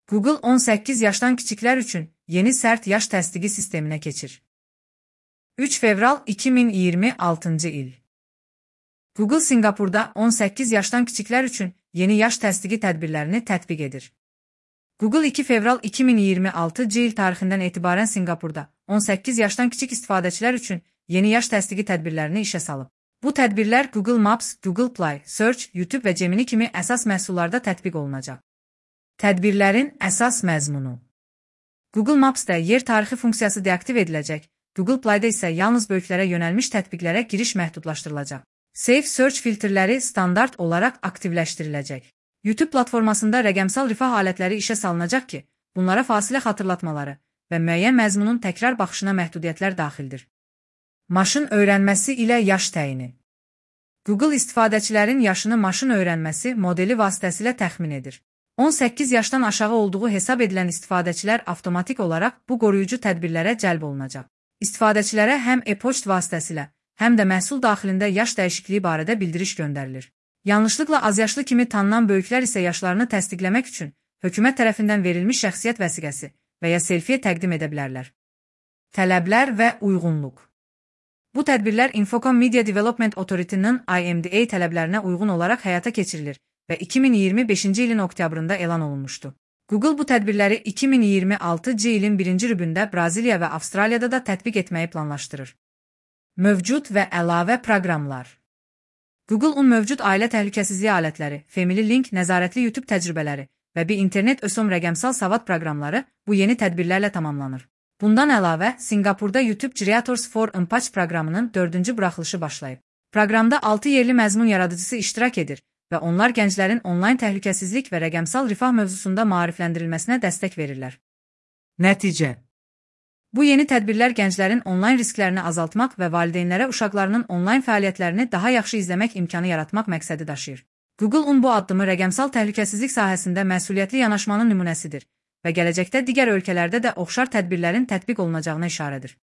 Google 18 yaşdan kiçiklər üçün yeni sərt yaş təsdiqi sisteminə keçir. 3 fevral 2026 il. Google Singapurda 18 yaşdan kiçiklər üçün yeni yaş təsdiqi tədbirlərini tətbiq edir. Google 2 fevral 2026 il tarixindən etibarən Singapurda 18 yaşdan kiçik istifadəçilər üçün yeni yaş təsdiqi tədbirlərini işə salıb. Bu tədbirlər Google Maps, Google Play, Search, YouTube və Gemini kimi əsas məhsullarda tətbiq olunacaq. Tədbirlərin əsas məzmunu. Google Maps-da yer tarixi funksiyası deaktiv ediləcək, Google Play-da isə yalnız böyüklərə yönəlmiş tətbiqlərə giriş məhdudlaşdırılacaq. Safe Search filtrləri standart olaraq aktivləşdiriləcək. YouTube platformasında rəqəmsal rifah alətləri işə salınacaq ki, bunlara fasilə xatırlatmaları və müəyyən məzmunun təkrar baxışına məhdudiyyətlər daxildir. Maşın öyrənməsi ilə yaş təyini. Google istifadəçilərin yaşını maşın öyrənməsi modeli vasitəsilə təxmin edir. 18 yaşdan aşağı olduğu hesab edilən istifadəçilər avtomatik olaraq bu qoruyucu tədbirlərə cəlb olunacaq. İstifadəçilərə həm e-poçt vasitəsilə, həm də məhsul daxilində yaş dəyişikliyi barədə bildiriş göndərilir. Yanlışlıqla azyaşlı kimi tanınan böyüklər isə yaşlarını təsdiqləmək üçün hökumət tərəfindən verilmiş şəxsiyyət vəsiqəsi və ya selfie təqdim edə bilərlər. Tələblər və uyğunluq. Bu tədbirlər Infocom Media Development Authority-nin IMDA tələblərinə uyğun olaraq həyata keçirilir və 2025-ci ilin oktyabrında elan olunmuşdu. Google bu tədbirləri 2026-cı ilin 1-ci rübündə Braziliya və Avstraliyada da tətbiq etməyi planlaşdırır. Mövcud və əlavə proqramlar. Google-un mövcud ailə təhlükəsizliyi alətləri, Family Link nəzarətli YouTube təcrübələri və bir internet ösüm rəqəmsal savad proqramları bu yeni tədbirlərlə tamamlanır. Bundan əlavə, Singapurda YouTube Creators for Impact proqramının 4-cü buraxılışı başlayıb. Proqramda 6 yerli məzmun yaradıcısı iştirak edir və onlar gənclərin onlayn təhlükəsizlik və rəqəmsal rifah mövzusunda maarifləndirilməsinə dəstək verirlər. Nəticə. Bu yeni tədbirlər gənclərin onlayn risklərini azaltmaq və valideynlərə uşaqlarının onlayn fəaliyyətlərini daha yaxşı izləmək imkanı yaratmaq məqsədi daşıyır. Google-un bu addımı rəqəmsal təhlükəsizlik sahəsində məsuliyyətli yanaşmanın nümunəsidir və gələcəkdə digər ölkələrdə də oxşar tədbirlərin tətbiq olunacağına işarədir.